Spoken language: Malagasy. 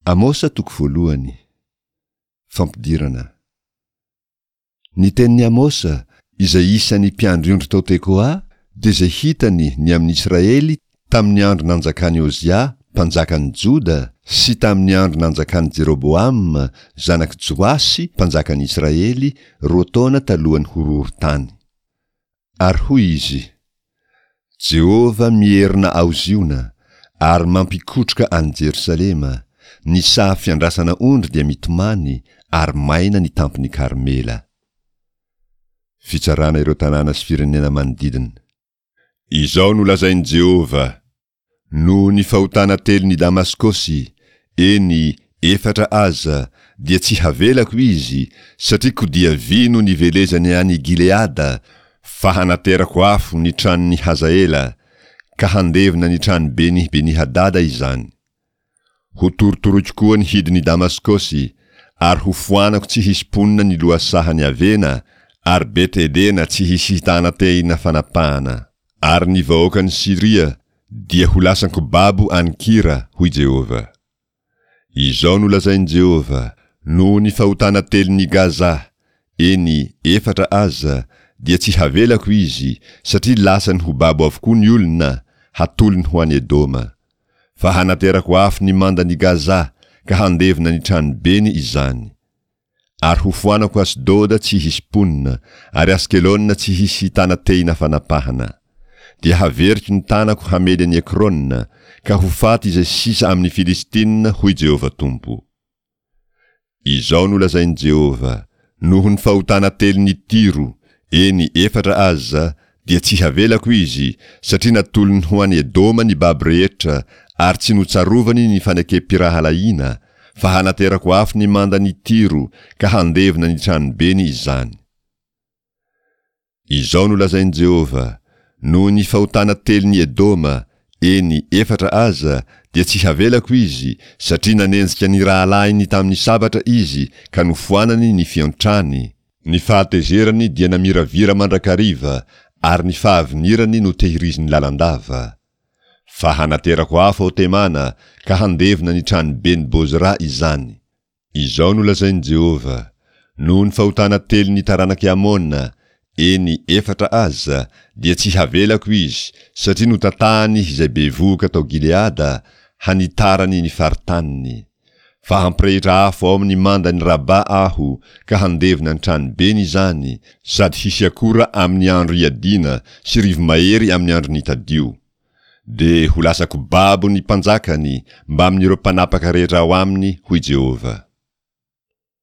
Amosa toko voalohany. Fampidirana. Ny tenin'i Amosa, izay isan'ny mpiandry ondry tao Tekoa, dia izay hitany ny amin'i Israely tamin'ny andro nanjakan'i Ozia, mpanjakan'i Joda, sy tamin'ny andro nanjakan'i Jeroboama, zanak'i Joasy, mpanjakan'i Israely, roa taona talohan'ny horohorontany. Ary hoy izy, Jehovah mierona ao Ziona, ary mampikotroka an'i Jerosalema, ny saha fiandrasana ondry dia mitomany, ary maina ny tampon'i Karmela. Fitsarana ireo tanàna sy firenena manodidina. Izao no lazain'i Jehovah, Noho ny fahotana telon'i Damaskosy, eny, efatra aza, dia tsy havelako izy, satria kodia vy no nivelezany any Gileada, fa hanaterako afo ny tranon'i Hazaela, ka handevona ny tranoben'i Beni-hadada izany. Hotorotoroiko koa ny hidin'i Damaskosy, ary hofoanako tsy hisy mponina ny lohasahan'i Avena, ary Bet-edena tsy hisy hitana tehina fanapahana. Ary ny vahoakan'i Syria dia ho lasan-ko babo any Kira, hoy Jehovah. Izao no lazain'i Jehovah, Noho ny fahotana telon'i Gaza, eny, efatra aza, dia tsy havelako izy, satria lasany ho babo avokoa ny olona, hatolony ho any Edoma. Fa hanaterako afo ny mandan'i Gaza, ka handevona ny tranobeny izany. Ary hofoanako Asdoda tsy hisy mponina, ary Askelona tsy hisy hitana tehina fanapahana. Dia haveriko ny tanako hamely an'i Ekrona, ka ho faty izay sisa amin'ny Filistina, hoy Jehovah Tompo. Izao no lazain'i Jehovah, Noho ny fahotana telon'i Tyro, eny, efatra aza, dia tsy havelako izy, satria natolony ho any Edoma ny babo rehetra, ary tsy notsarovany ny fanekem-pirahalahiana, fa hanaterako afo ny mandan'i Tyro, ka handevona ny tranobeny izany. Izao no lazain'i Jehovah, Noho ny fahotana telon'i Edoma, eny, efatra aza, dia tsy havelako izy, satria nanenjika ny rahalahiny tamin'ny sabatra izy ka nofoanany ny fiantrany, Ny fahatezerany dia namiravira mandrakariva, ary ny fahavinirany notehiriziny lalandava. Fa hanaterako afo ao Temana, ka handevona ny tranoben'i Bozra izany. Izao no lazain'i Jehovah, Noho ny fahotana telon'ny taranak'i Amona, eny, efatra aza, dia tsy havelako izy, satria notatahany izay bevohoka tao Gileada, hanitarany ny faritaniny. Fa hampirehitra afo ao amin'ny mandan'i Raba aho, ka handevona ny tranobeny izany, sady hisy akora amin'ny andro iadiana sy rivo-mahery amin'ny andron'ny tadio. Dia ho lasa-ko babo ny mpanjakany mbamin'ireo mpanapaka rehetra ao aminy, hoy Jehovah.